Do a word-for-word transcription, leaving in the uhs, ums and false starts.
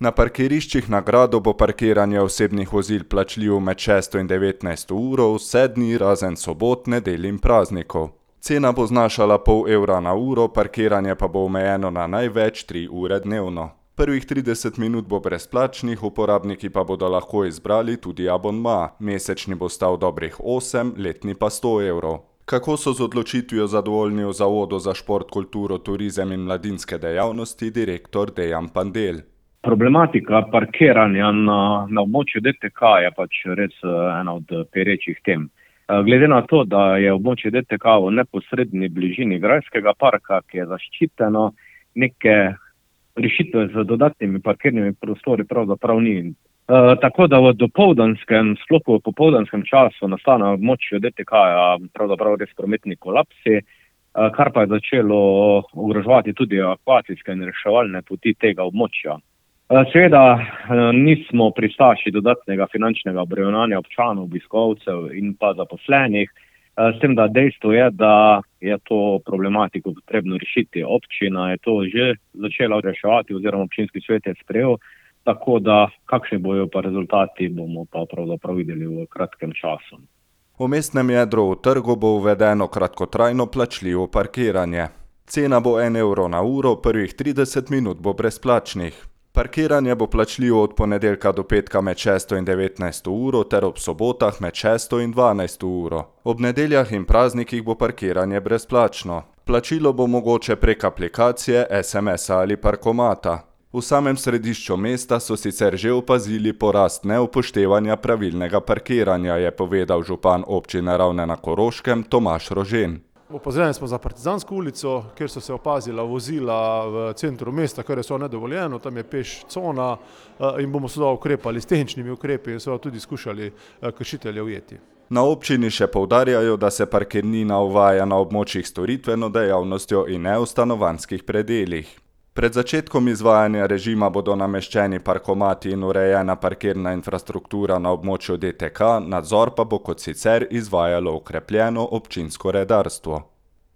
Na parkiriščih na gradu bo parkiranje osebnih vozil plačljivo med šesto in devetnajsto uro vse dni razen sobot, nedelj in praznikov. Cena bo znašala pol evra na uro, parkiranje pa bo omejeno na največ tri ure dnevno. Prvih trideset minut bo brezplačnih, uporabniki pa bodo lahko izbrali tudi abonma. Mesečni bo stal dobrih osem, letni pa sto evrov. Kako so z odločitvijo zadovoljni v Zavodu za šport, kulturo, turizem in mladinske dejavnosti direktor Dejan Pandelj. Problematika parkiranja na, na območju D T K je pač res ena od perečih tem. Glede na to, da je območje D T K v neposredni bližini grajskega parka, ki je zaščiteno, neke rešitve z dodatnimi parkirnimi prostori pravzaprav ni. E, tako da v dopoldanskem, sploh v popoldanskem času nastane na območju D T K-ja pravzaprav res prometni kolapsi, kar pa je začelo ogroževati tudi akvacijske in reševalne poti tega območja. Seveda nismo pristaši dodatnega finančnega obremenjevanja občanov, obiskovalcev in pa zaposlenih, s tem, da dejstvo je, da je to problematiko potrebno rešiti. Občina je to že začela reševati oziroma občinski svet je sprejel, tako da kakšni bojo pa rezultati, bomo pa pravzaprav videli v kratkem času. V mestnem jedru v trgu bo uvedeno kratkotrajno plačljivo parkiranje. Cena bo en evro na uro, prvih trideset minut bo brezplačnih. Parkiranje bo plačljivo od ponedeljka do petka med šesto in devetnajsto uro ter ob sobotah med šesto in dvanajsto uro. Ob nedeljah in praznikih bo parkiranje brezplačno. Plačilo bo mogoče prek aplikacije, es em es-a ali parkomata. V samem središču mesta so sicer že opazili porast neupoštevanja pravilnega parkiranja, je povedal župan občine Ravne na Koroškem Tomaž Rožen. Opozorjeni smo za Partizansko ulico, kjer so se opazila vozila v centru mesta, kar je so nedovoljeno, tam je peš cona in bomo seveda ukrepali s tehničnimi ukrepi in seveda tudi skušali kršitelje ujeti. Na občini še poudarjajo, da se parkirnina uvaja na območjih storitveno dejavnostjo in ne v stanovanjskih predelih. Pred začetkom izvajanja režima bodo nameščeni parkomati in urejena parkirna infrastruktura na območju D T K, nadzor pa bo kot sicer izvajalo okrepljeno občinsko redarstvo.